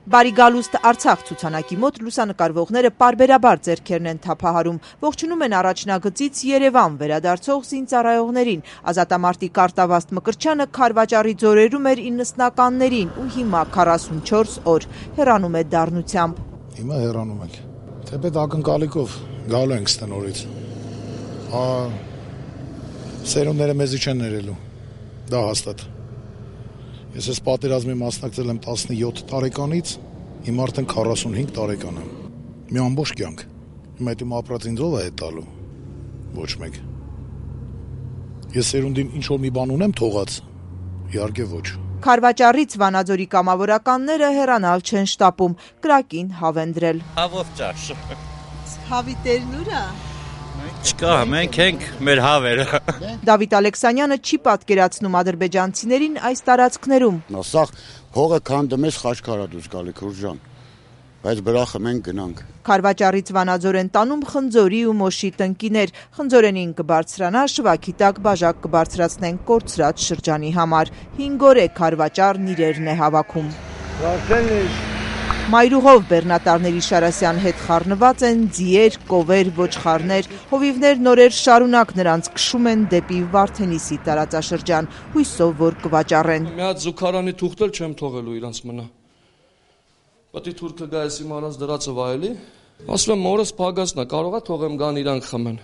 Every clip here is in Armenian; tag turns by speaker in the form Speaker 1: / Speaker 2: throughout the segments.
Speaker 1: Բարի գալուստ Արցախ ցուցանակի մոտ լուսանկարվողները պարբերաբար ձեռքերն են թափահարում, ողջունում են առաջնագծից Երևան վերադարձող զինծառայողներին։ Ազատամարտիկ Արտավազդ Մկրտչյանը Քարվաճառի ձորերում էր 90-ականներին ու հիմա 44 օր հեռանում է դառնությամբ։
Speaker 2: Հիմա հեռանում ենք։ Թեպետ ակնկալիքով գալու ենք ստնորից։ Սերունդները մեզի չեն ներելու։ Դա հաստատ։ Ես այս պատերազմի մասնակցել եմ 17 տարեկանից, հիմա արդեն 45 տարեկան եմ։ Մի ամբողջ կյանք։ Հիմա այդ իմ ապրած ինձով է տալու։ Ոչ մեկ։ Ես սերունդին ինչ-որ մի բան ունեմ թողած։ Իհարկե ոչ։
Speaker 1: Քարվաճառից Վանաձորի կամավորականները հեռանալ չեն շտապում, կրակին հավ են դրել։
Speaker 3: Հավով ճաշ։
Speaker 1: Հավի տերն ուր է։
Speaker 3: Չկա, մենք ենք մեր հավերը։
Speaker 1: Դավիթ Ալեքսանյանը չի պատկերացնում ադրբեջանցիներին այս տարածքներում։
Speaker 4: Սաղ հողը քանդում ես Խաչքարադուս գալի Քուրժան, բայց բրախը մենք գնանք։
Speaker 1: Քարվաճառից Վանաձոր են տանում խնձորի ու մոշի տնկիներ, խնձորենին կբարձրանա, շվաքի տակ բաժակ կբարձրացնեն կորցրած շրջանի համար։ 5 օր է Քարվաճառն իրերն է հավաքում։ Մայրուղով բեռնատարների Շարասյան հետ խառնված են ձիեր, կովեր, ոչխարներ, հովիվներ նորեր շարունակ նրանց քշում են դեպի Վարդենիսի տարածաշրջան, հույսով որ կվաճառեն։
Speaker 5: Մի հատ զուգարանի թուղթ էլ չեմ թողելու իրանց մնա։ Պատի թուրքը գա էս իմ առած դրածը վայելի։ Ասում եմ մորս փագասնա, կարողա թողեմ գան իրանք խմեն։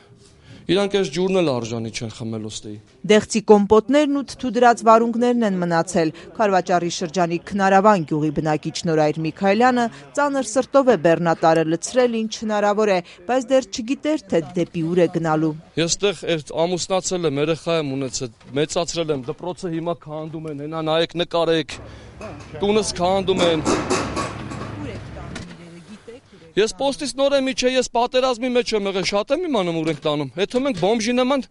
Speaker 5: Իրանք այս ջուրն էլ արժանի չեն խմել ոստեի։
Speaker 1: Դեղցի կոմպոտներն ու թթու դրած վարունգներն են մնացել։ Քարվաճառի շրջանի Քնարավան գյուղի բնակիչ Նորայր Միքայելյանը ծանր սրտով է բեռնատարը լցրել ինչ հնարավոր է, բայց դեռ չգիտեր թե դեպի ուր է գնալու։
Speaker 5: Ես այդտեղ ամուսնացել եմ, երեխա եմ ունեցել, մեծացրել եմ, դպրոցը հիմա քանդում են, հենա նայեք, նկարեք։ Տունս քանդում են։ Ես պոստից նոր եմ իջե, ես պատերազմի մեջ եմ եղել, շատ եմ իմանում ուր ենք տանում։ Հետո մենք բոմբժի նման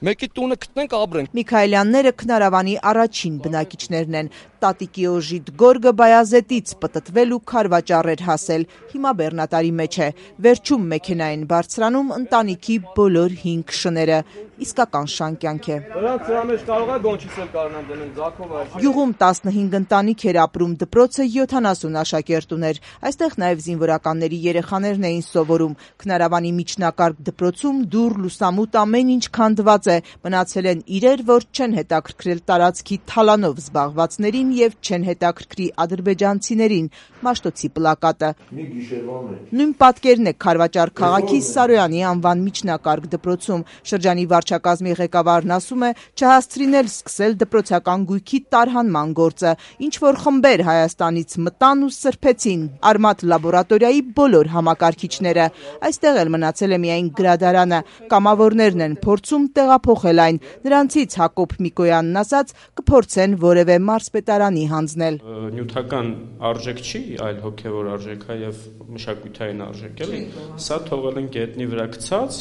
Speaker 5: մեկի տունը գտնենք ապրենք։
Speaker 1: Միքայելյանները Քնարավանի առաջին բնակիչներն են։ Տատիկի օժիտ Գորգը Բայազետից պտտվել ու Քարվաճառ էր հասել։ Հիմա բեռնատարի մեջ է։ Վերջում մեքենային բարձրանում ընտանիքի բոլոր 5 շները։ Իսկական շան կյանք է։
Speaker 5: Նրանց դրա մեջ կարող է գոնչից էլ կարողան դնել Զաքով այս։
Speaker 1: Գյուղում 15 ընտանիք էր ապրում, դպրոցը 70 աշակերտ ուներ։ Այստեղ նաև զինվորականների երեխաներն էին սովորում։ Քնարավանի միջնակարգ դպրոցում դուռ, լուսամուտ ամեն ինչ քանդված է։ Մնացել են իրեր, որ չեն հետաքրքրել տարածքի թալանով զբաղվածներին եւ չեն հետաքրքրի ադրբեջանցիներին։ Մաշտոցի պլակատը։
Speaker 5: Մի գիշերվա մեջ։
Speaker 1: Նույն պատկերն է Քարվաճառ քաղաքի Սարոյանի անվան միջնակարգ դպրոցում։ Շրջանի վարչակազմի ղեկավարն ասում է, չհասցրին սկսել դպրոցական գույքի տարհանման գործը, ինչ որ խմբեր Հայաստանից մտան ու սրբեցին Արմատ լաբորատորիայի բոլոր համակարգիչները։ Այստեղ էլ մնացել է միայն գրադարանը։ Կամավորներն են փորձում տեղափոխել այն։ Նրանցից Հակոբ Միկոյանն ասաց, կփորձեն որևէ մարզպետարանի հանձնել։
Speaker 6: Նյութական արժեք չի, այլ հոգևոր արժեք է եւ մշակութային արժեք էլի։ Սա թողել են գետնի վրա գցած,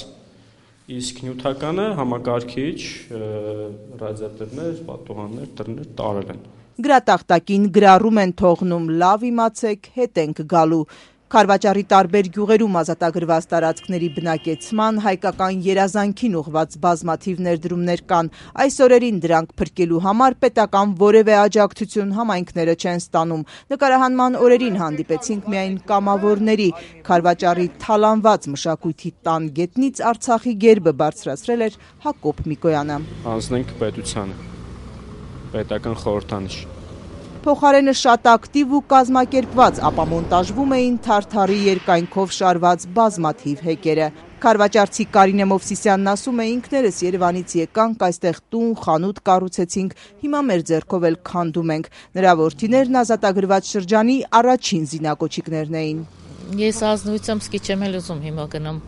Speaker 6: իսկ նյութականը համակարգիչ, ռադիատորներ, պատուհաններ, դռներ տարել են։
Speaker 1: Գրատախտակին գրառում են թողնում, լավ իմացեք, հետ ենք գալու։ Քարվաճառի տարբեր գյուղերում ազատագրված տարածքների բնակեցման, հայկական երազանքին ուղղված բազմաթիվ ներդրումներ կան։ Այս օրերին դրանք փրկելու համար պետական որևէ աջակցություն համայնքները չեն ստանում։ Նկարահանման օրերին հանդիպեցինք միայն կամավորների։ Քարվաճառի թալանված մշակույթի տան գետնից Արցախի գերբը բարձրացրել էր Հակոբ Միկոյանը։
Speaker 6: Անցնենք պետությանը։ Պետական խորհրդանիշ։
Speaker 1: Փոխարենը շատ ակտիվ ու կազմակերպված ապամոնտաժվում էին թարթարի երկայնքով շարված բազմաթիվ հեկերը։ Քարվաճառցի Կարինե Մովսիսյանն ասում է, ինքներս Երևանից եկանք, այստեղ տուն, խանութ կառուցեցինք, հիմա մեր ձեռքով էլ քանդում ենք։ Նրա որդիներն ազատագրված շրջանի առաջին զինակոչիկներն էին։
Speaker 7: Ես ազնվությամբ սկի չեմ էլ ուզում հիմա գնամ։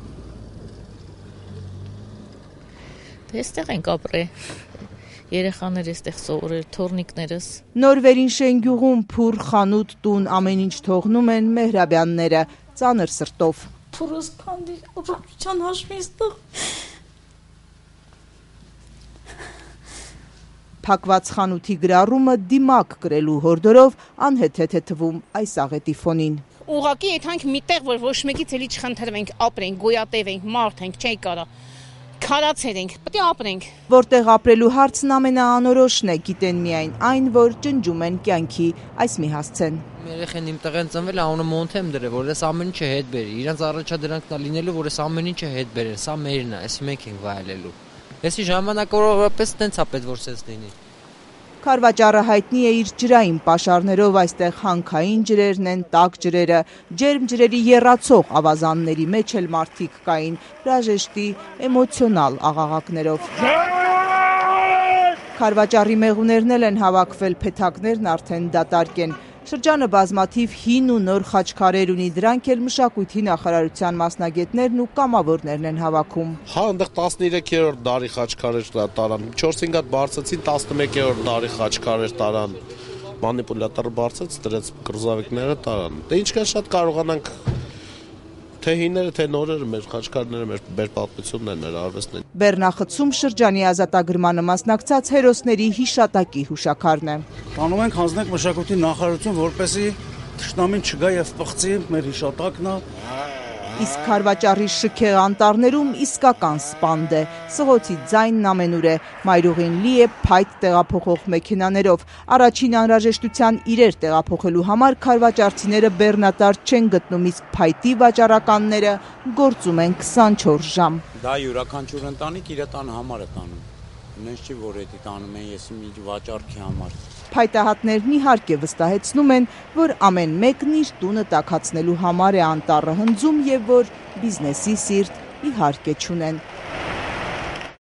Speaker 7: Դե այստեղ ենք ապրել։ Երեխաներ էստեղ սովորել, թորնիկներս։ Նոր
Speaker 1: Վերինշեն գյուղում փուր, խանութ, տուն, ամեն ինչ թողնում են Մեհրաբյանները, ծանր սրտով։
Speaker 8: Փուրս քանդի, առողջության հաշվիստը։
Speaker 1: Փակված խանութի գրառումը դիմակ կրելու հորդորով անհեթեթ է թվում այս աղետի ֆոնին։
Speaker 9: Ուղղակի եթանք միտեղ, որ ոչ մեկից էլի չխնդրվենք, ապրենք, գոյատևենք, մարդ ենք, չի կարա։ քարացել ենք, պետք է ապրենք։
Speaker 1: Որտեղ ապրելու հարցն ամենաանորոշն է, գիտեն միայն այն, որ ջնջում են կյանքի, այս մի հասցեն։
Speaker 10: Երեխեն իմ տղեն ծնվել ամենը մոնթեմ դրել, որ ես ամեն ինչը հետ բերի։ Իրանց առաջադրանքն է լինելու, որ ես ամեն ինչը հետ բերել, սա մերն է, այսի մենք ենք վայելելու։ Եսի ժամանակավորապես տենց է պետք որ սենց լինի։
Speaker 1: Քարվաճառը հայտնի է իր ջրային պաշարներով, այստեղ հանքային ջրերն են, տաք ջրերը, ջերմ ջրերի եռացող ավազանների մեջ էլ մարդիկ կային, հրաժեշտի էմոցիոնալ աղաղակներով։ Քարվաճառի մեղուներն էլ են հավաքվել, փեթակներն արդեն դատարկ են։ Շրջանը բազմաթիվ հին ու նոր խաչքարեր ունի, դրանք էլ մշակույթի նախարարության մասնագետներն ու կամավորներն են հավաքում։
Speaker 11: Հա, այնտեղ 13-րդ դարի խաչքարեր տարան, 4-5 հատ բարձեցին, 11-րդ դարի խաչքարեր տարան, մանիպուլյատորը բարձեց, դրեց կրզավիկները տարան։ Դե ինչքան շատ կարողանանք թե հիները, թե նորերը մեր խաչքարները, մեր պատմությունն են, մեր արվեստն են։
Speaker 1: Բեռնախցում շրջանի ազատագրմանը մասնակցած հերոսների հիշատակի հուշաքարն է։
Speaker 12: Անում ենք հանձնենք մշակույթի նախարարություն, որպեսզի թշնամին չգա եւ պղծի մեր հիշատակն է։
Speaker 1: Իսկ քարվաճառի շքեղ անտառներում իսկական սպանդ է, սղոցի ձայնն ամենուր է, մայրուղին լի է փայտ տեղափոխող մեքենաներով, առաջին անհրաժեշտության իրեր տեղափոխելու համար քարվաճառցիները բեռնատար չեն գտնում, իսկ փայտի վաճառականները գործում են 24 ժամ։
Speaker 13: Դա յուրաքանչյուր ընտանիք իր տան համար է տանում, նենց չի որ էդի տանում են ես մի վաճառքի համար։
Speaker 1: Փայտահատներն իհարկե վստահեցնում են, որ ամեն մեկն իր տունը տաքացնելու համար է անտառը հնձում եւ որ բիզնեսի սիրտ իհարկե չունեն։